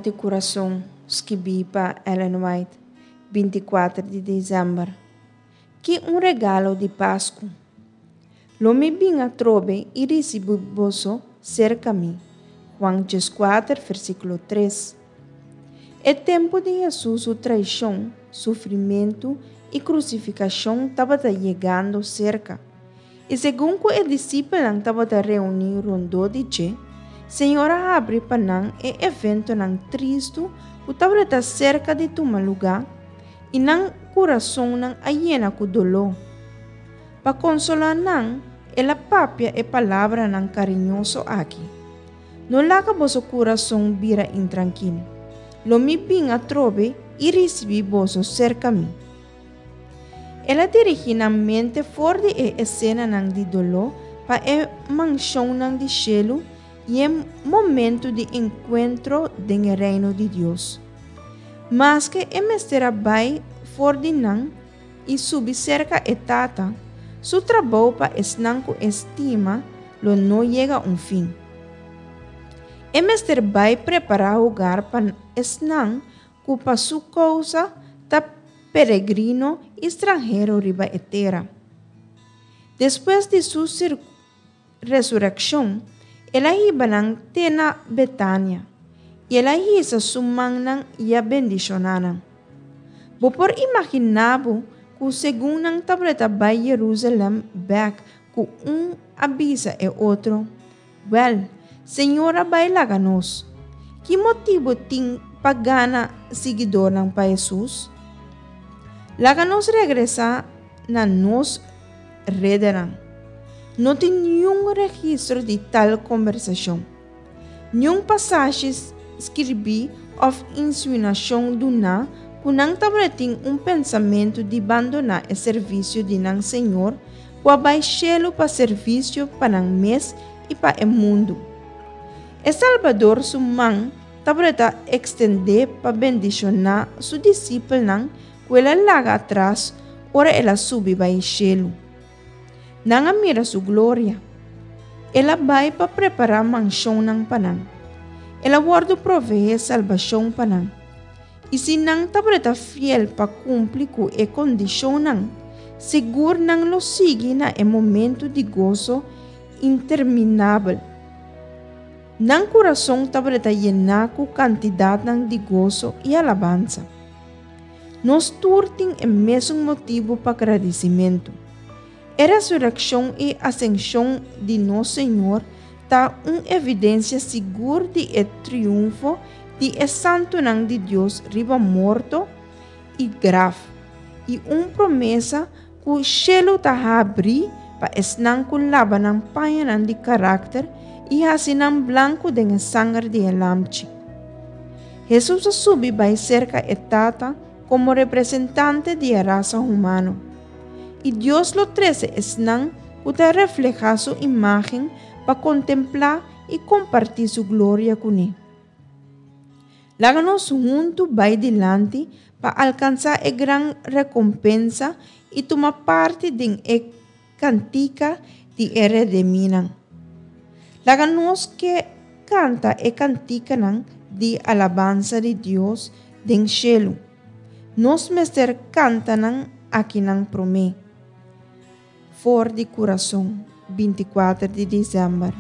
di Kurason, skibí pa Ellen White, 24 di desèmber. Ki un regalo di Pasku! Lo mi bin atrobe i risibí boso serka mi. Juan 14, versíkulo 3. E tempu di Hesus su traishon, sufrimentu i krusifikashon tabata yegando serka. I segun ku e disipelnan tabata reuní rondó di dje, Señor a habri pa nan e eventonan tristu ku tabata serka di tuma lugá, i nan kurasonnan a yena ku doló. Pa konsolá nan, el a papia e palabranan kariñoso aki, No laga boso kurason bira intrankil. Lo mi bin atrobe i risibí boso serka mi. El a dirigí nan mente for di e esenanan di doló pa e manshonnan di shelu i e momentu di enkuentro den e Reino di Dios. Maske e mester a bai for di nan i subi serka e Tata, su trabou pa esnan ku e stima lo no yega un fin. E mester bai prepará hogar pa esnan ku pa su kousa ta peregrino i stranhero riba e tera. Despues di su resurekshon, el a hiba nan te na Betania, i el a hisa su mannan i a bendishoná nan. Bo por imaginá bo ku segun nan tabata bai Yerusalèm bèk ku un a bisa e otro, Wèl, Señor a bai laga nos. Ki motibu tin pa gana siguidornan pa Hesus? Laga nos regresá na nos redenan. No tin niun registro di tal kombersashon. Niun pasashi skirbí òf insinuashon duná ku nan tabatin un pensamentu di bandoná e servisio di nan Señor ku a bai shelu pa servisio pa nan mes i pa e mundu. E Salbador su man tabata ekstendé pa bendishoná su disipelnan ku el a laga atras ora el a subi bai shelu. Nan a mira su gloria. El a bai pa prepará manshonnan pa nan. El a wòrdu proveé salbashon pa nan. I si nan tabata fiel pa kumpli ku e kondishonnan, sigur nan lo sigui na e momentu di goso interminabel. Nan kurason tabata yená ku kantidatnan di goso i alabansa. Nos tur tin e mesun motibu pa gradisimentu. E resurekshon i asenshon di nos Señor ta un evidensia sigur di e triunfo di e santunan di Dios riba morto i graf, i un promesa ku shelu ta habrí pa esnan ku laba nan pañanan di karakter i hasi nan blanku den e sanger di e Lamchi. Hesus a subi bai serka e Tata komo representante di e rasa humano. I Dios lo trese esnan ku ta reflehá su imágen pa kontemplá i kompartí su gloria kuné. Laga nos huntu bai dilanti pa alkansá e gran rekompensa i tuma parti den e kantika di e redemínan. Laga nos ke kanta e kantikanan di alabansa di Dios den shelu. Nos mester kanta nan akinan promé. For di kurason, 24 di desèmber.